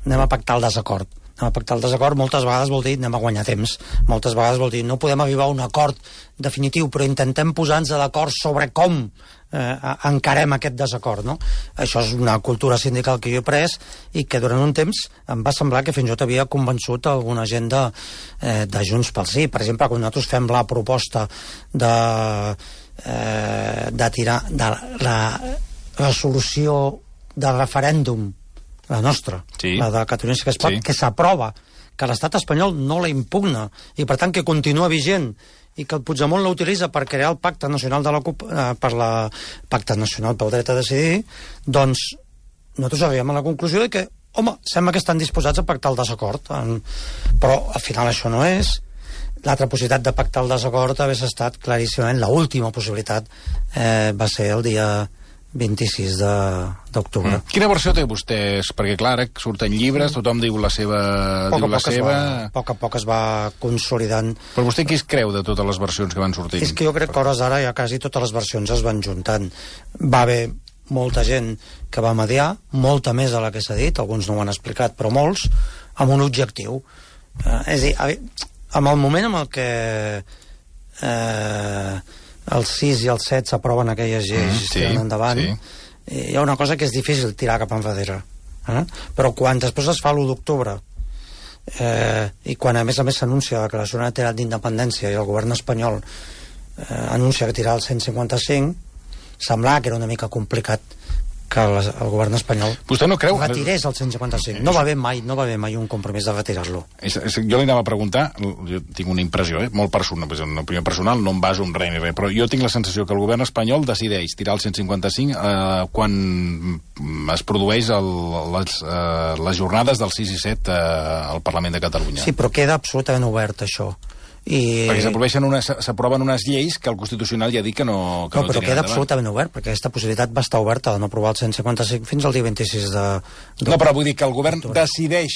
[SPEAKER 2] anem a pactar el desacord. Anem a pactar el desacord moltes vegades vol dir anem a guanyar temps, moltes vegades vol dir no podem arribar a un acord definitiu, però intentem posar-nos d'acord sobre com encarem aquest desacord, no? Això és una cultura sindical que jo he pres i que durant un temps em va semblar que fins i tot havia convençut alguna gent de Junts pel Sí. Per exemple, quan nosaltres fem la proposta de tirar de la resolució del referèndum, la nostra, la de Catalunya Sí que es pot, que s'aprova, que l'estat espanyol no la impugna i per tant que continua vigent i que el Puigdemont l'utilitza per crear el Pacte Nacional Pacte Nacional pel Dret a Decidir, doncs nosaltres arribem a la conclusió de que, home, sembla que estan disposats a pactar el desacord, però al final això no és. L'altra possibilitat de pactar el desacord hagués estat claríssimament, l'última possibilitat va ser el dia 26 d'octubre.
[SPEAKER 1] Quina versió té vostès? Perquè, clar, ara surten llibres, tothom diu la seva...
[SPEAKER 2] A poc a poc es va consolidant.
[SPEAKER 1] Però vostè qui es creu de totes les versions que van sortint?
[SPEAKER 2] És que jo crec que a hores d'ara ja quasi totes les versions es van juntant. Va haver molta gent que va mediar, molta més de la que s'ha dit, alguns no ho han explicat, però molts, amb un objectiu. És a dir, amb el moment en el que el 6 i el 7 s'aproven aquelles lleis endavant, hi ha una cosa que és difícil tirar cap enrere. Però quan després es fa l'1 d'octubre i quan a més s'anuncia la declaració unilateral d'independència i el govern espanyol anuncia que tirarà el 155, semblava que era una mica complicat que el govern espanyol retirés el 155. No va haver mai un compromís de retirar-lo.
[SPEAKER 1] Jo li anava a preguntar, jo tinc una impressió, molt personal, una opinió personal, no em baso en res ni res, però jo tinc la sensació que el govern espanyol decideix tirar el 155 quan es produeix les jornades del 6 i 7 al Parlament de Catalunya.
[SPEAKER 2] Sí, però queda absolutament obert això.
[SPEAKER 1] Perquè s'aproven unes lleis que el Constitucional ja ha dit que no
[SPEAKER 2] però queda absolutament obert, perquè aquesta possibilitat va estar oberta de no aprovar el 155 fins al dia 26
[SPEAKER 1] No, però vull dir que el govern decideix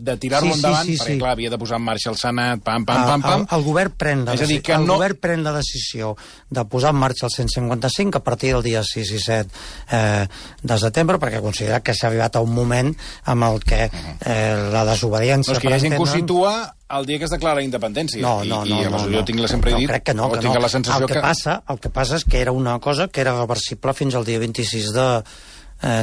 [SPEAKER 1] de tirar-lo endavant, perquè clar, havia de posar en marxa el Senat, pam.
[SPEAKER 2] El govern pren la decisió de posar en marxa el 155 a partir del dia 6 i 7 de setembre, perquè considera que s'ha arribat a un moment amb el que la desobediència...
[SPEAKER 1] No, és que hi ha gent que ho situa el dia que es declara independència.
[SPEAKER 2] No.
[SPEAKER 1] Jo tinc sempre dit...
[SPEAKER 2] No, crec que no.
[SPEAKER 1] Tinc la sensació
[SPEAKER 2] el que passa és que era una cosa que era reversible fins al dia 26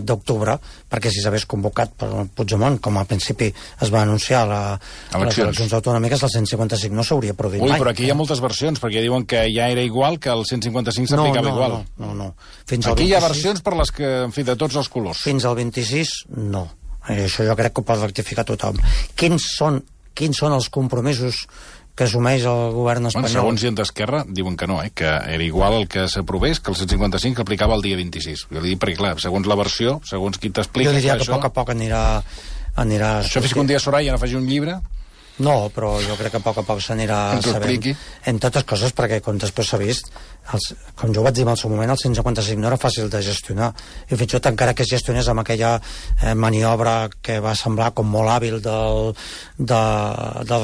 [SPEAKER 2] d'octubre, perquè si s'hagués convocat per Puigdemont, com al principi es va anunciar les eleccions autonòmiques, el 155 no s'hauria produït mai.
[SPEAKER 1] Però aquí hi ha moltes versions, perquè diuen que ja era igual, que el 155 s'aplicava igual.
[SPEAKER 2] No.
[SPEAKER 1] Aquí hi ha versions per les que, en fi, de tots els colors.
[SPEAKER 2] Fins al 26, no. Això jo crec que ho pot rectificar tothom. Quins són els compromisos que assumeix el govern espanyol?
[SPEAKER 1] Segons gent d'Esquerra diuen que no, que era igual el que s'aprovés que el 155 que aplicava el dia 26. Jo li dic perquè, clar, segons la versió, segons qui t'explica...
[SPEAKER 2] Jo diria que a poc a poc anirà...
[SPEAKER 1] Això fins que un dia Soraya no faci un llibre...
[SPEAKER 2] No, però jo crec que a poc s'anirà sabent en totes coses, perquè com després s'ha vist, com jo vaig dir en el seu moment, el 155 no era fàcil de gestionar, i fins i tot encara que es gestionés amb aquella maniobra que va semblar com molt hàbil del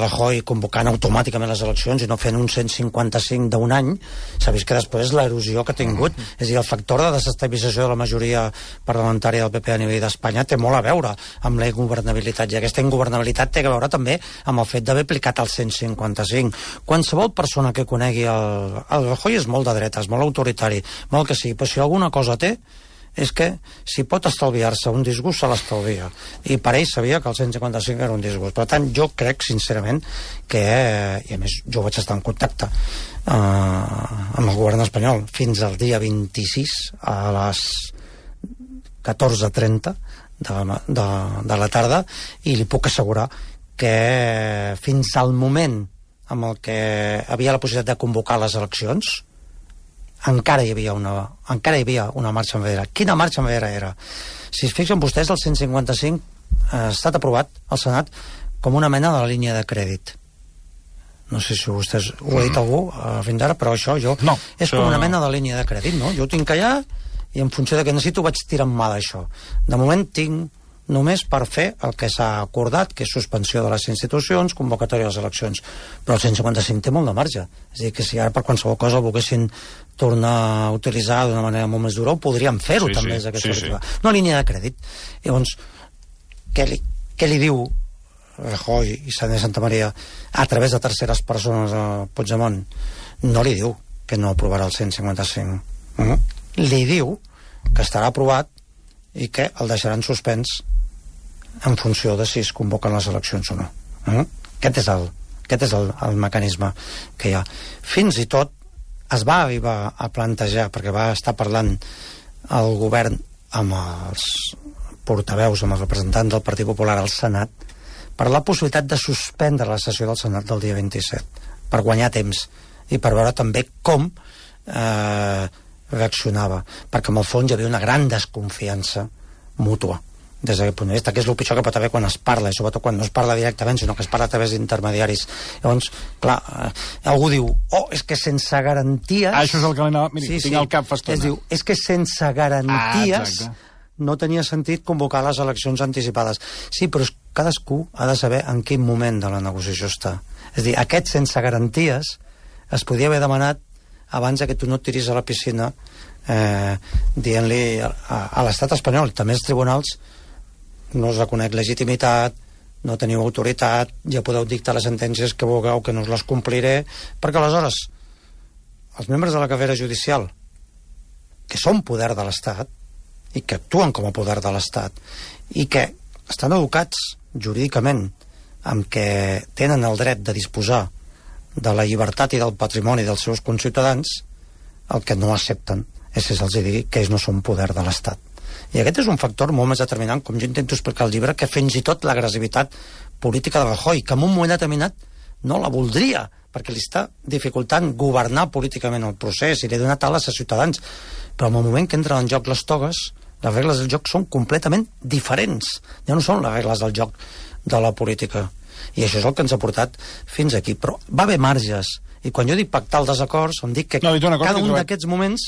[SPEAKER 2] Rajoy convocant automàticament les eleccions i no fent un 155 d'un any, s'ha vist que després l'erosió que ha tingut, és a dir, el factor de desestabilització de la majoria parlamentària del PP a nivell d'Espanya té molt a veure amb la ingovernabilitat, i aquesta ingovernabilitat té a veure també amb el fet d'haver aplicat el 155. Qualsevol persona que conegui el Rajoy és molt de dretes, molt autoritari, molt que sí, però si alguna cosa té és que si pot estalviar-se un disgust se l'estalvia, i per ell sabia que el 155 era un disgust. Per tant, jo crec sincerament que, i a més jo vaig estar en contacte amb el govern espanyol fins al dia 26 a les 14:30 de la tarda, i li puc assegurar que fins al moment en el que havia la possibilitat de convocar les eleccions encara hi havia una marxa enrere. Quina marxa enrere era? Si es fixen vostès, el 155 ha estat aprovat al Senat com una mena de la línia de crèdit. No sé si vostès ho ha dit algú fins ara, però això és com una mena de línia de crèdit, no? Jo ho tinc allà i en funció de què necessito vaig tirar en mà d'això. De moment tinc només per fer el que s'ha acordat, que és suspensió de les institucions, convocatòria de les eleccions. Però el 155 té molt de marge. És a dir, que si ara per qualsevol cosa volguessin tornar a utilitzar d'una manera molt més dura, ho podríem fer-ho també des d'aquesta perspectiva. Una línia de crèdit. Llavors, què li diu Rajoy i Santa Maria a través de terceres persones a Puigdemont? No li diu que no aprovarà el 155. Li diu que estarà aprovat i que el deixaran suspens en funció de si es convoquen les eleccions o no. Aquest és el mecanisme que hi ha. Fins i tot es va arribar a plantejar, perquè va estar parlant el govern amb els portaveus, amb els representants del Partit Popular al Senat, per la possibilitat de suspendre la sessió del Senat del dia 27, per guanyar temps i per veure també com reaccionava, perquè en el fons hi havia una gran desconfiança mútua des d'aquest punt de vista, que és el pitjor que pot haver quan es parla, i sobretot quan no es parla directament, sinó que es parla a través d'intermediaris. Llavors, clar, algú diu, és que sense garanties...
[SPEAKER 1] Això és el que l'anava... Miri, tinc el cap fa estona.
[SPEAKER 2] Diu, és que sense garanties no tenia sentit convocar les eleccions anticipades. Sí, però cadascú ha de saber en quin moment de la negociació està. És a dir, aquest sense garanties es podia haver demanat abans que tu no et tiris a la piscina dient-li a l'estat espanyol, també els tribunals, no us reconec legitimitat, no teniu autoritat, ja podeu dictar les sentències que vulgueu, que no us les compliré, perquè aleshores els membres de la carrera judicial, que són poder de l'Estat i que actuen com a poder de l'Estat i que estan educats jurídicament amb que tenen el dret de disposar de la llibertat i del patrimoni dels seus conciutadans, el que no accepten és que se'ls digui que ells no són poder de l'Estat. I aquest és un factor molt més determinant, com jo intento explicar al llibre, que fins i tot l'agressivitat política de Rajoy, que en un moment determinat no la voldria, perquè li està dificultant governar políticament el procés i li ha donat ales a ciutadans. Però en el moment que entren en joc les togues, les regles del joc són completament diferents. Ja no són les regles del joc de la política. I això és el que ens ha portat fins aquí. Però va haver marges. I quan jo dic pactar els desacords, em dic que cada un d'aquests moments...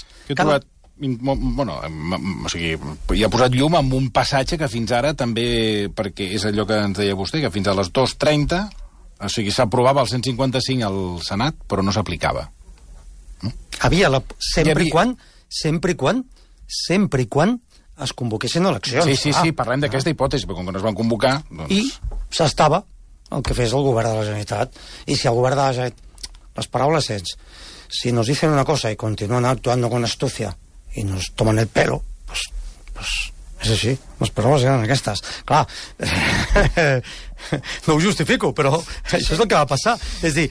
[SPEAKER 1] Bueno, o sigui, hi ha posat llum amb un passatge que fins ara també, perquè és allò que ens deia vostè, que fins a les 2:30, o sigui, s'aprovava el 155 al Senat, però no s'aplicava.
[SPEAKER 2] Havia sempre i quan es convoquessin eleccions.
[SPEAKER 1] Sí, parlem d'aquesta hipòtesi, però com que no es van convocar... Doncs...
[SPEAKER 2] I s'estava el que fes el govern de la Generalitat. I si el govern de la Generalitat, les paraules sents, si nos dicen una cosa y continúan actuando con astucia i nos toman el pelo, pues és així, les paraules eren aquestes. Clar, no ho justifico, però això és el que va passar. És dir,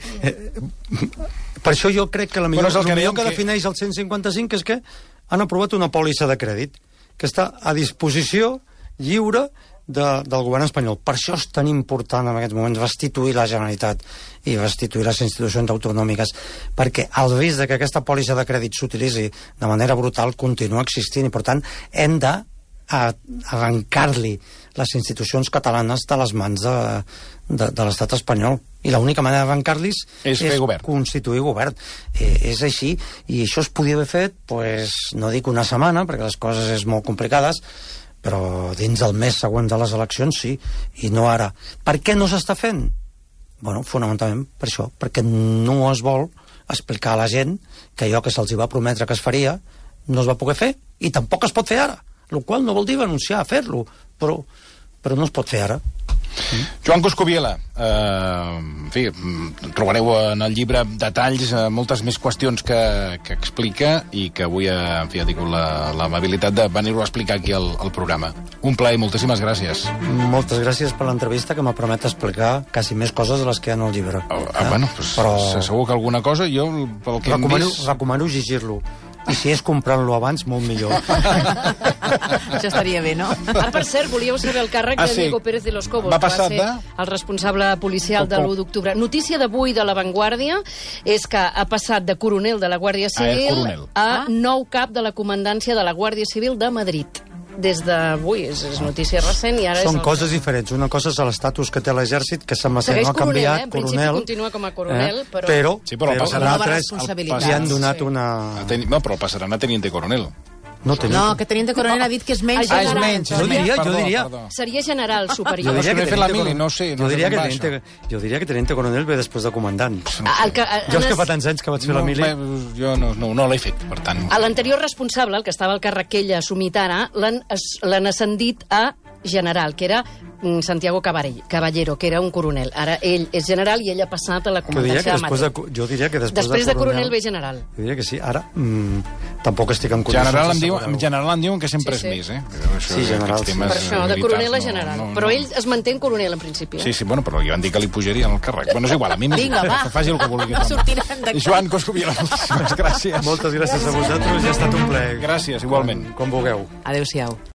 [SPEAKER 2] per això jo crec que el millor que defineix el 155 és que han aprovat una pòlissa de crèdit que està a disposició lliure del govern espanyol. Per això és tan important en aquests moments restituir la Generalitat i restituir les institucions autonòmiques, perquè el risc que aquesta pòlissa de crèdit s'utilitzi de manera brutal continua existint i per tant hem d'arrencar-li les institucions catalanes de les mans de l'estat espanyol. I l'única manera d'arrencar-los és constituir govern. És així, i això es podia haver fet, no dic una setmana, perquè les coses és molt complicades, però dins del mes següent de les eleccions sí, i no ara. Per què no s'està fent? Bueno, fonamentalment per això, perquè no es vol explicar a la gent que allò que se'ls va prometre que es faria no es va poder fer, i tampoc es pot fer ara, el qual no vol dir renunciar a fer-lo, però no es pot fer ara.
[SPEAKER 1] Joan Coscubiela, en fi, trobareu en el llibre detalls, moltes més qüestions que explica i que avui ha tingut l'amabilitat de venir-ho a explicar aquí al programa. Un plaer, moltíssimes gràcies.
[SPEAKER 2] Moltes gràcies per l'entrevista, que m'ha permet explicar quasi més coses de les que hi ha en el llibre.
[SPEAKER 1] Bueno, segur que alguna cosa jo, pel que hem vist...
[SPEAKER 2] Recomano llegir-lo. I si és comprant-lo abans, molt millor.
[SPEAKER 4] Això estaria bé, no?
[SPEAKER 3] Per cert, volíeu saber el càrrec de Diego Pérez de los Cobos, que va ser el responsable policial de l'1 d'octubre. Notícia d'avui de La Vanguardia és que ha passat de coronel de la Guàrdia Civil a nou cap de la comandància de la Guàrdia Civil de Madrid. Des d'avui, és notícia recent i ara...
[SPEAKER 2] Són coses diferents. Una cosa és l'estatus que té l'exèrcit, que sembla ser no ha canviat,
[SPEAKER 3] coronel. En principi continua com a coronel, però...
[SPEAKER 1] Però
[SPEAKER 2] l'altre li han donat una...
[SPEAKER 1] No, però passaran a teniente coronel.
[SPEAKER 4] No, que teniente coronel ha dit que és menys.
[SPEAKER 2] És menys. Jo diria...
[SPEAKER 3] Seria general superior.
[SPEAKER 2] Jo diria que teniente coronel ve després de comandant. Jo és que fa tants anys que vaig fer la mili...
[SPEAKER 1] Jo no l'he fet, per tant...
[SPEAKER 3] L'anterior responsable, el que estava al càrrec que ell ha assumit ara, l'han ascendit a general, que era Santiago Caballero, que era un coronel. Ara ell és general i ell ha passat a la comandància de Madrid.
[SPEAKER 2] Jo diria que
[SPEAKER 3] després de coronel ve general.
[SPEAKER 2] Jo diria que sí. Ara tampoc estic en condicions...
[SPEAKER 1] General em diuen que sempre és més,
[SPEAKER 2] Sí, general.
[SPEAKER 3] Per això, de coronel a general. Però ell es manté en coronel, en principi.
[SPEAKER 1] Sí, bueno, però li van dir que li pujarien el càrrec. Bueno, és igual, a mi que faci el que vulgui. Joan Coscubiela, moltíssimes gràcies.
[SPEAKER 2] Moltes gràcies a vosaltres, ja ha estat un plaer.
[SPEAKER 1] Gràcies, igualment.
[SPEAKER 2] Com vulgueu.
[SPEAKER 4] Adéu-siau.